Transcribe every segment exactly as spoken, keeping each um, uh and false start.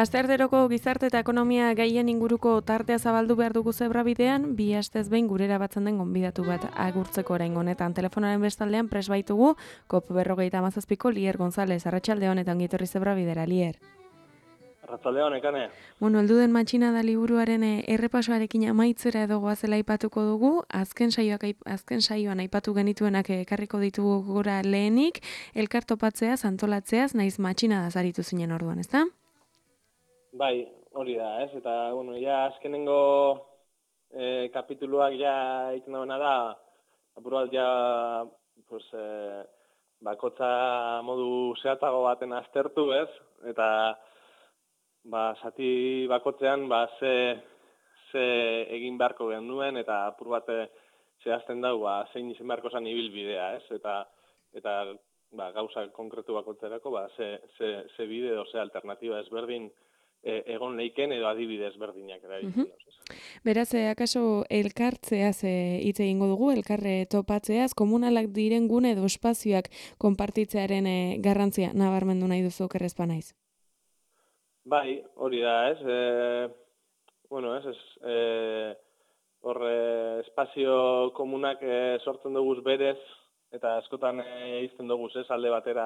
Astearteroko gizarte eta ekonomia gaien inguruko tartea zabaldu behar dugu zebrabidean, bi astez behin gurera batzen den gonbidatu bat agurtzeko orain honetan. Telefonaren bestaldean pres baitugu, kop berrogeita hamazazpiko Lier González, arratsalde honetan gitorri zebrabidera, Lier. Arratsalde honekane. Bueno, heldu den matxinada liburuaren errepasoarekin amaitzera edo goazela aipatuko dugu, azken saioak azken saioan aipatu genituenak ekarriko ditugu gora lehenik, elkar topatzeaz, antolatzeaz, naiz matxinada zaritu zinen orduan, ezta? Bai, hori da, ez? Eta, bueno, ja, azkenengo eh, kapituluak ja egiten dagoena da, apur bat ja, pues, eh, bakotza modu zehatzago baten aztertu, ez? Eta, ba, zati bakotzean, ba, ze, ze egin beharko genuen, eta apur bat zehazten dago, ba, zein izan beharko zen ibilbidea, ez? Eta, eta ba, gauza konkretu bakotzerako, ba, ze, ze, ze bide, edo ze alternatiba ezberdin, egon leiken edo adibide ezberdinak erabiltzen duz. Beraz, akaso elkartzeaz hitz egingo dugu, elkarre topatzeaz, komunalak diren gune edo espazioak konpartitzearen garrantzia nabarmendu nahi duzu okerrezpa naiz. Bai, hori da, ez? E, bueno, ez, ez, e, horre espazio komunak e, sortzen dugu berez, eta askotan e, izten dugu, ez, alde batera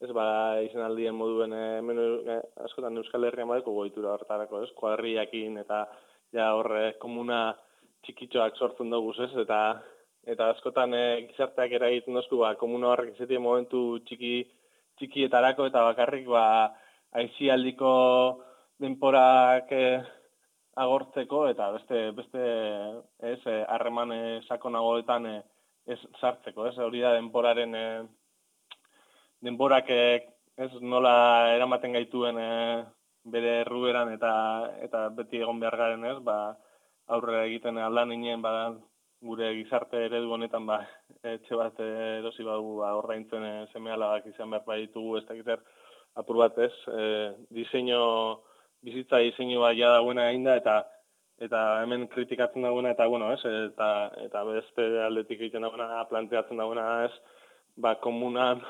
ez ba, izan aldien moduen, e, menu, e, askotan Euskal Herrian badeko goitura horretarako, ez, kuadriakin eta ja horre komuna txikitxoak sortzen dugu, ez, eta eta askotan e, gizarteak eragiten dozku, ba, komuna horrek izatea momentu txiki txikietarako eta bakarrik, ba, aisialdiko denporak e, agortzeko eta beste, beste, ez, harreman e, sakonagoetan e, ez sartzeko, ez, hori da denporaren e, denborak ez nola eramaten gaituen e, bere erruberan eta eta beti egon behar garen ez, ba, aurrera egiten aldan inen, ba, gure gizarte eredu honetan, ba, etxe bat erosi badugu, ba, ordaintzen e, seme alabak izan behar baditugu, ez dakiter apur bat ez, e, diseño, bizitza diseño bat ja dagoena egin da, eta eta hemen kritikatzen dagoena, eta bueno, ez, eta, eta beste aldetik egiten dagoena, planteatzen dagoena ez, ba, komunan,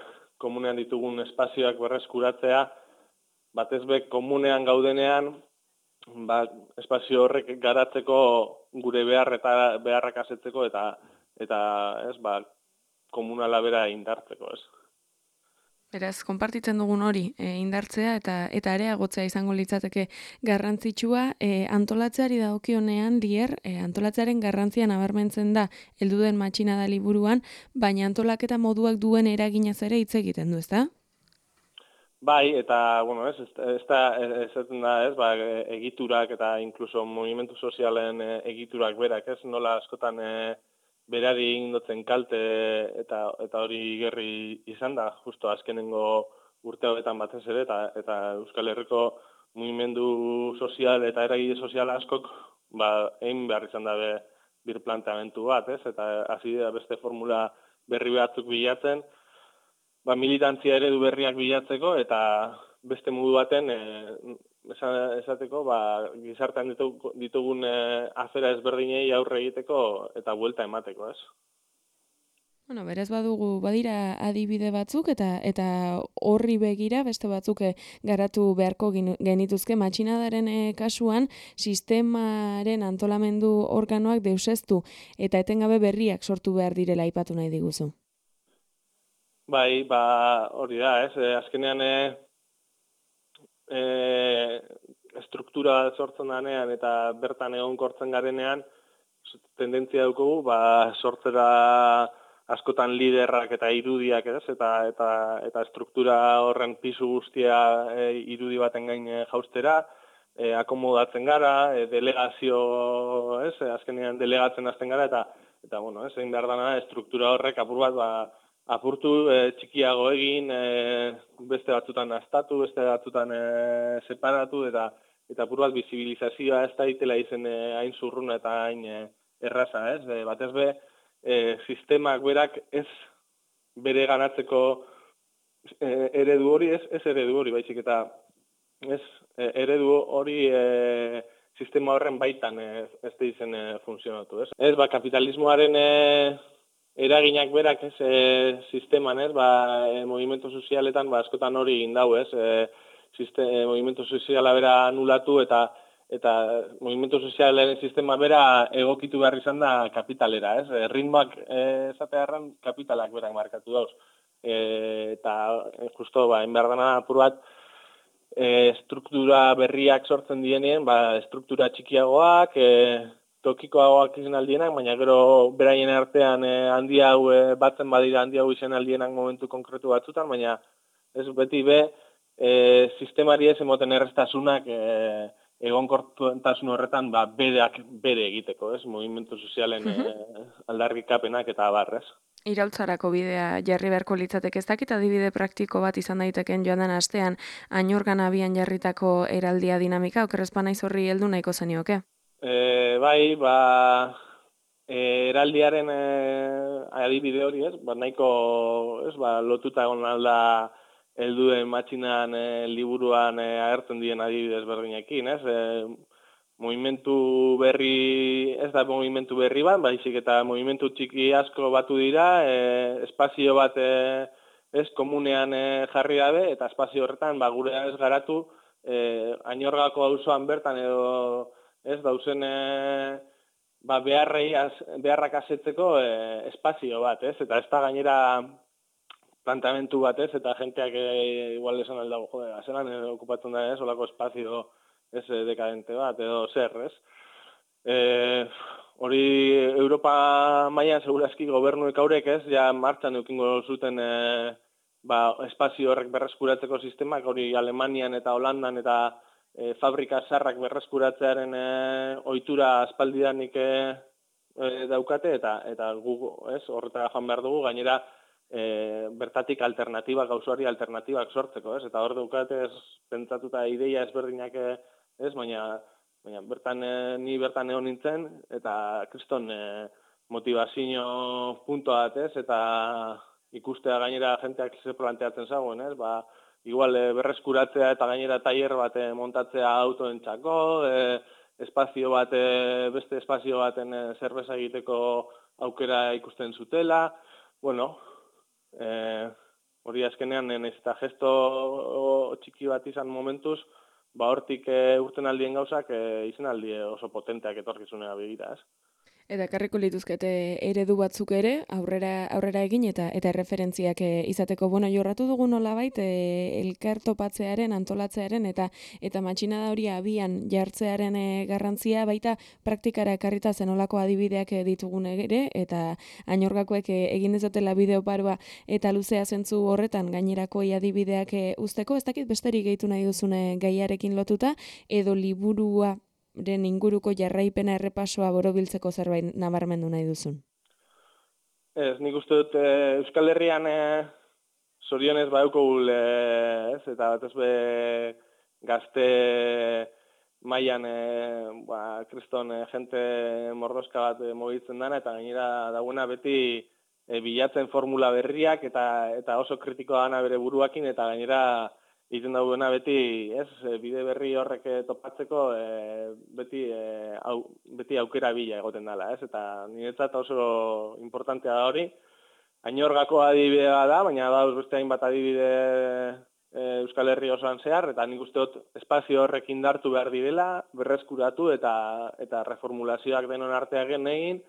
komunean ditugun espazioak berreskuratzea, batez be komunean gaudenean, ba, espazio horrek garatzeko gure behar eta beharrak asetzeko eta eta ez, ba, komunala bera indartzeko, ez. Beraz, konpartitzen dugun hori, e, indartzea eta eta areagotzea izango litzateke garrantzitsua, e, antolatzeari dagokionean, Lier, e, antolatzearen garrantzia nabarmentzen da heldu den matxinada liburuan, baina antolaketa moduak duen eraginaz ere hitz egiten du, ezta? Bai, eta, bueno, ez, ez da, ezaten da, ez, ba, egiturak eta inkluso movimentu sozialen egiturak berak, ez, nola askotan e, berari indotzen kalte eta eta hori gerri izan da, justo azkenengo urte hauetan batez ere, eta, eta Euskal Herriko mugimendu sozial eta eragile sozial askok, ba, egin behar izan dabe birplanteamentu bat, ez, eta hasi da beste formula berri batzuk bilatzen, ba, militantzia eredu berriak bilatzeko, eta beste modu baten, e, esateko, ba, gizartean ditugun, ditugun e, afera ezberdinei aurre egiteko eta buelta emateko, ez? Bueno, berez badugu, badira adibide batzuk eta eta horri begira beste batzuk garatu beharko genituzke matxinadaren e, kasuan sistemaren antolamendu organoak deuseztu eta etengabe berriak sortu behar direla aipatu nahi diguzu. Bai, ba, hori da, ez, e, azkenean e, e, struktura sortzen danean eta bertan egonkortzen garenean, tendentzia dugu, ba, sortzera askotan liderrak eta irudiak, ez, eta eta eta struktura horren pisu guztia e, irudi baten gain jaustera, e, akomodatzen gara, e, delegazio, ez, azkenean delegatzen hasten gara, eta eta bueno, ez, egin behar dana struktura horrek apur bat, ba, apurtu, e, txikiago egin, e, beste batzutan astatu, beste batzutan e, separatu, eta eta apur bat bizibilizazioa ez da itela izen eh, hain zurruna eta hain eh, erraza, ez? E, batez be, eh, sistemak berak ez bere ganatzeko eh, eredu hori, ez, ez eredu hori, baizik eta ez eh, eredu hori eh, sistema horren baitan eh, ez da izen eh, funtzionatu, ez? Ez, ba, kapitalismoaren eh, eraginak berak ez e, sisteman, ez, ba, e, movimentu sozialetan, ba, askotan hori egin dau, ez, e, siste, e, movimentu soziala bera anulatu eta eta movimentu sozialaren sistema bera egokitu behar izan da kapitalera, ez, e, ritmoak e, esatearran kapitalak berak markatu dauz. E, eta e, justo, ba, enbehar dana apur bat, e, struktura berriak sortzen dienien, ba, struktura txikiagoak, e, tokikoagoak izan aldienak, baina gero beraien artean eh, handi hau eh, batzen badira handi hau izan aldienak momentu konkretu batzutan, baina ez beti be eh, sistemari ez emoten errestasunak eh, egonkortasun horretan ba, bereak bere egiteko, ez? Movimentu sozialen eh, aldarrikapenak eta abar, ez? Iraultzarako bidea jarri beharko litzateke, ez dakit adibide praktiko bat izan daiteken joan den astean Añorgan abian jarritako eraldia dinamika, okerrezpa naiz horri heldu nahiko zenioke? E, bai, ba, e, eraldiaren e, adibide hori, ez? Ba, nahiko, ez, ba, lotuta egon alda helduen matxinan e, liburuan e, agertzen dien adibidez berdinekin, ez? E, movimentu berri, ez da movimentu berri bat, baizik eta movimentu txiki asko batu dira, e, espazio bat e, ez komunean e, jarri dabe, eta espazio horretan, ba, gure ez garatu, e, Añorgako auzoan bertan edo ez dauzen e, ba, beharrei az, beharrak asetzeko e, espazio bat, ez? Eta ez da gainera plantamentu bat, ez? Eta jenteak e, igual esan aldago, jode, azelan e, okupatzen da, ez? Olako espazio ez dekadente bat, edo zer, ez? E, hori Europa mailan segurazki gobernuek haurek, ez? Ja martxan eukingo zuten e, ba, espazio horrek berreskuratzeko sistemak, hori Alemanian eta Holandan eta E, fabrika zarrak berreskuratzearen e, ohitura aspaldidanik e, e, daukate eta eta gu ez horretara joan behar dugu gainera e, bertatik alternatiba gauzari alternatibak sortzeko, ez? Eta hor daukate ez pentsatuta ideia ezberdinak ez, baina baina bertan e, ni bertan egon nintzen eta kriston e, motivazio puntua bat, ez? Eta ikustea gainera jenteak ze planteatzen zagoen, ez? Ba igual e, berreskuratzea eta gainera tailer bat e, montatzea autoentzako, e, espazio bat, e, beste espazio baten e, zerbeza egiteko aukera ikusten zutela. Bueno, e, hori azkenean, naiz eta gesto txiki bat izan momentuz, ba hortik e, urten aldien gauzak e, izan aldie oso potenteak etorkizunea begira, ez? Eta ekarriko lituzkete eredu batzuk ere, aurrera aurrera egin eta eta referentziak izateko. Bueno, jorratu dugu nolabait e, elkar topatzearen, antolatzearen eta eta matxinada hori abian jartzearen e, garrantzia baita praktikara ekarrita zenolako adibideak ditugun ere eta Añorgakoek e, egin dezatela bideo paroa eta luzea zentzu horretan gainerako adibideak e, usteko. Ez dakit besterik gehitu nahi duzune gaiarekin lotuta edo liburua den inguruko jarraipena errepasoa borobiltzeko zerbait nabarmendu nahi duzun? Ez, nik uste dut e, Euskal Herrian e, zorionez badauko gul, e, ez, eta batez be gazte mailan e, ba, kriston e, jente mordoska bat e, mogitzen dana, eta gainera dagoena beti e, bilatzen formula berriak, eta eta oso kritikoa dana bere buruakin, eta gainera egiten dauena beti, ez, bide berri horrek topatzeko e, beti e, au, beti aukera bila egoten dela, ez? Eta niretzat oso importantea da hori. Añorgako adibidea da, baina da beste hainbat adibide e, Euskal Herri osoan zehar, eta nik uste dut espazio horrek indartu behar direla, berreskuratu eta eta reformulazioak denon arteak egin,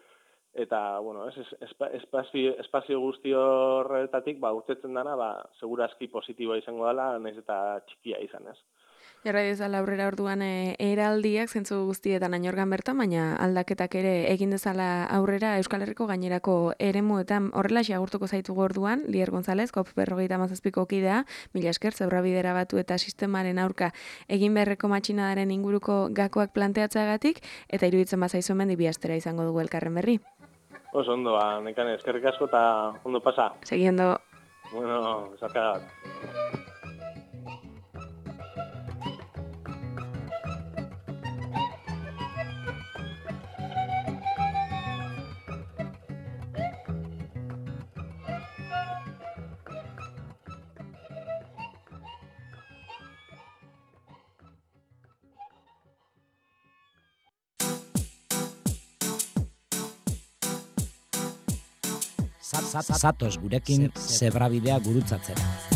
eta, bueno, ez, espazio, espazio guzti horretatik, ba, urtetzen dana, ba, segurazki positiboa izango dela, nahiz eta txikia izan, ez. Jarra dezala aurrera orduan e, eraldiak zentzu guztietan Añorgan bertan, baina aldaketak ere egin dezala aurrera Euskal Herriko gainerako eremuetan horrelaxe agurtuko zaitugu orduan, Lier González, kop berrogeita hamazazpiko kidea, mila esker, zeurra bidera batu eta sistemaren aurka egin beharreko matxinadaren inguruko gakoak planteatzeagatik, eta iruditzen bazaizu hemen bi astera izango dugu elkarren berri. Oso ondo, ba, nekane, eskerrik asko eta ondo pasa. Seguiendo. Bueno, zarkagat. Zatoz gurekin zebrabidea gurutzatzera.